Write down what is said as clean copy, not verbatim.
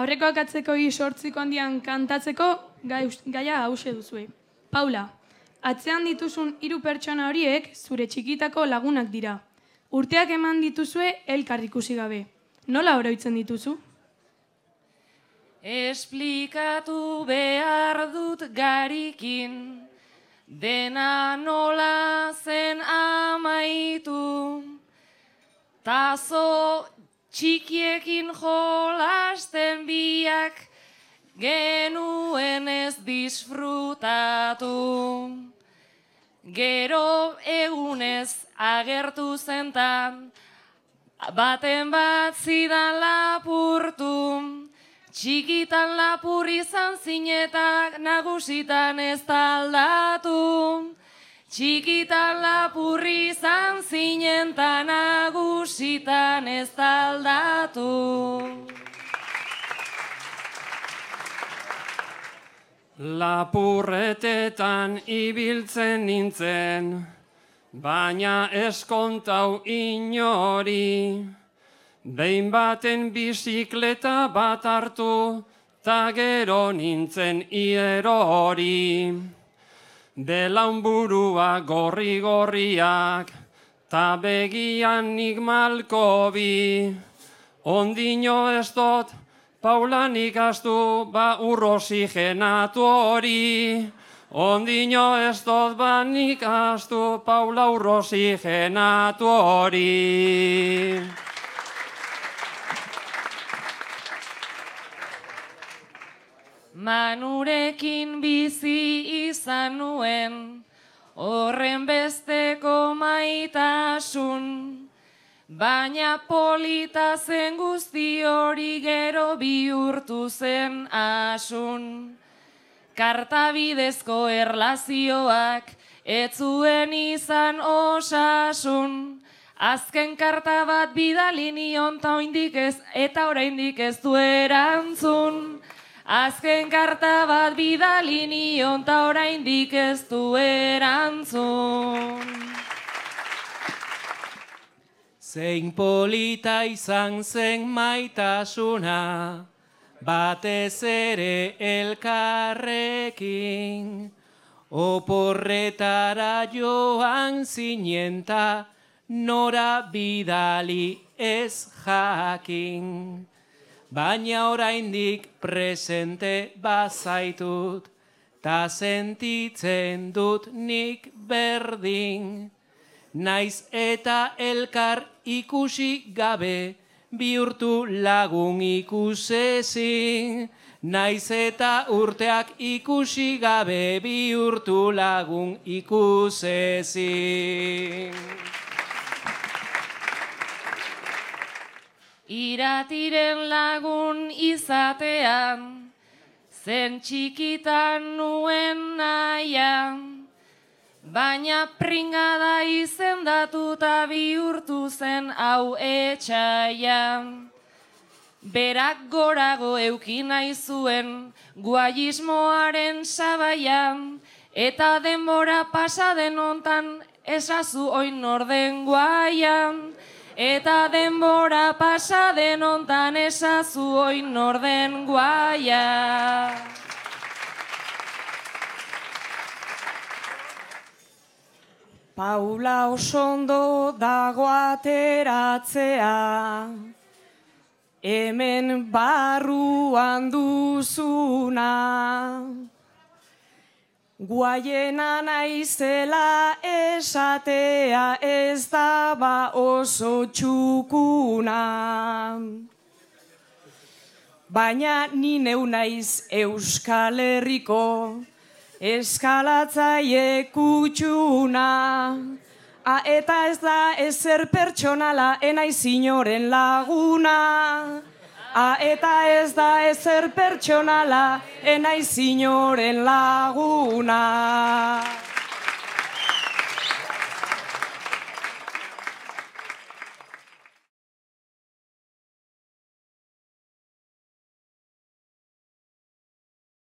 Aurrekoak atzekoi sortziko handian kantatzeko gaia hause duzue. Paula, atzean dituzun 3 pertsona horiek zure txikitako lagunak dira. Urteak eman dituzue elkar ikusi gabe. Nola oroitzen dituzu? Esplikatu behar dut garikin, dena nola zen amaitu. Tazo txikiekin jolasten biak, genuen ez disfrutatu. Gero egunez agertu zentan, baten bat zidan lapurtu. Txikitan lapur izan zinetak nagusitan ez aldatu. Txikitan lapur izan zinetan nagusitan ez aldatu. Lapurretetan ibiltzen nintzen, baina eskontau inori. Behin baten bizikleta bat hartu, ta gero nintzen ierori. Belaunburua gorri-gorriak, ta begian nik malkobi. Ondino ez dut, Paula nik astu, ba urroxigenatu hori. Ondino ez dut, ba nik astu, Paula urroxigenatu hori. Manurekin bizi izan nuen, horren besteko maitasun, baina polita zen guzti hori gero bihurtu zen asun. Kartabidezko erlazioak ez zuen izan osasun, azken karta bat bidali nion eta oraindik ez du erantzun. Azken karta bat bidali nion ta oraindik ez du erantzun. Zein polita izan zen maitasuna, batez ere elkarrekin. Oporretara joan zinenta, nora bidali ez jakin. Baina oraindik presente bazaitut, ta sentitzen dut nik berdin. Naiz eta elkar ikusi gabe, bihurtu lagun ikusezin. Naiz eta urteak ikusi gabe, bihurtu lagun ikusezin. Iratiren lagun izatean, zen txikitan nuen nahian, baina pringada izendatuta bihurtu zen hau etxaian. Berak gorago euki nahi zuen guaismoaren sabaian, eta denbora pasaden hontan esazu oin norden guaian. Eta denbora pasaden hontan esazu oin norden guaia. Paula osondo dago ateratzea, hemen barruan duzuna. Guaiena naizela esatea ez daba oso txukuna. Baina ni neu naiz Euskal Herriko eskalatzaile kutxuna. Eta ez da ezer pertsonala enaiz inoren laguna. Eta ez da ezer pertsonala enaiz inoren laguna.